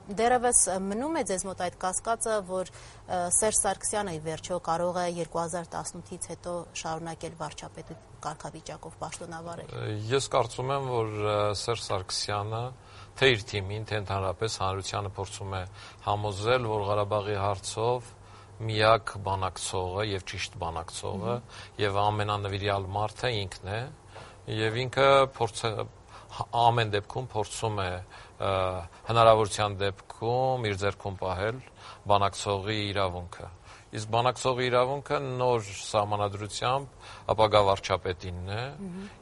Դերևս մնում է ձեզ մոտ այդ կասկածը, որ Սերժ Սարգսյանը ի վերջո կարող է 2018-ից հետո շարունակել վարչապետի կարգավիճակով պաշտոնավարել։ Ես կարծում եմ, որ Սերժ Սարգսյանը թե իր թիմին, թե ընդհանրապես հանրությանը փորձում է համոզել, որ Ղարաբաղի հարցով միակ բանակցողը եւ ճիշտ բանակցողը եւ ամենանվիրյալ մարդը ինքն է, եւ ինքը ամեն դեպքում փորձում է հնարավորության դեպքում իր ձեռքում պահել բանակցողի իրավունքը։ Իսկ բանակցողի իրավունքը նոր սահմանադրությամբ ապագա վարչապետինն է։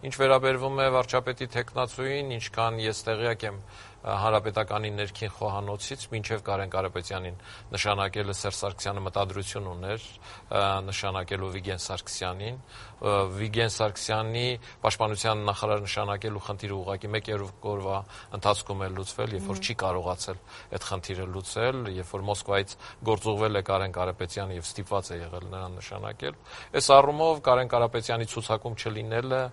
Ինչ վերաբերվում է վարչապետի թեկնածուին, ինչքան ես տեղյակ եմ Հանրապետականի ներքին խոհանոցից մինչև Կարեն Կարապետյանին նշանակելը Սերժ Սարգսյանը մտադրություն ուներ նշանակելու Վիգեն Սարգսյանին։ Վիգեն Սարգսյանի պաշտպանության նախարար նշանակելու խնդիրը ուղղակի մեկ օրվա ընթացքում է լուծվել, երբ որ չի կարողացել այդ խնդիրը լուծել, երբ որ Մոսկվայից գործուղվել է Կարեն Կարապետյանը եւ ստիպված է եղել նրան նշանակել։ Այս առումով Կարեն Կարապետյանի ցուցակում չլինելը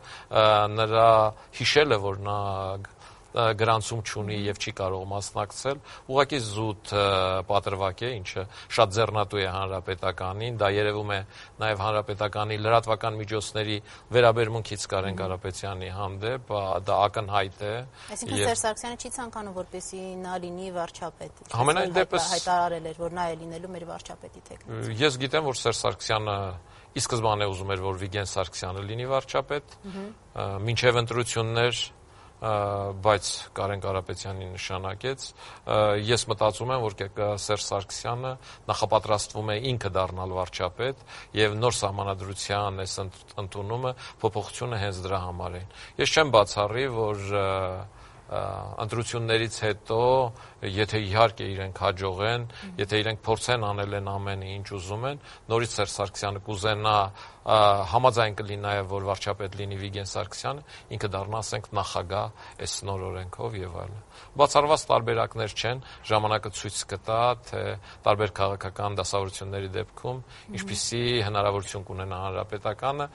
նրա հիշելը, որ նա գրանցում չունի եւ չի կարող մասնակցել, ուղղակի զուտ պատրվակ է, ինչը շատ ձեռնատու է Հանրապետականին, դա երևում է նաեւ Հանրապետականի լրատվական միջոցների վերաբերմունքից Կարեն Կարապետյանի հանդեպ, դա ակնհայտ է։ Այսինքն Սերժ Սարգսյանը չի ցանկանում, որպեսզի նա լինի վարչապետ։ Համենայն դեպս հայտարարել էր, որ նա է լինելու մեր վարչապետի թեկնածու։ Ես գիտեմ, որ Սերժ Սարգսյանը ի սկզբանե ուզում էր, որ Վիգեն Սարգսյանը լինի վարչապետ, մինչև ընտրություններ բայց Կարեն Կարապետյանին նշանակեց։ Ես մտածում եմ, որ Սերժ Սարգսյանը նախապատրաստվում է ինքը դառնալ վարչապետ եւ նոր սահմանադրության այս ընդունումը փոփոխությունը հենց դրա համար է։ Ես չեմ բացառի, որ ընտրություններից հետո, եթե իհարկե իրենք հաջողեն, եթե իրենք փորձեն անել են ամենը ինչ ուզում են, նորից Սերժ Սարգսյանը կուզենա համաձայն կլինի նաև, որ վարչապետ լինի Վիգեն Սարգսյանը, ինքը դառնա, ասենք, նախագահ այս նոր օրենքով եւ այլն։ Բացառված տարբերակներ չեն, ժամանակը ցույց կտա, թե տարբեր քաղաքական դասավորությունների դեպքում ինչպիսի հնարավորություն կունենա Հանրապետականը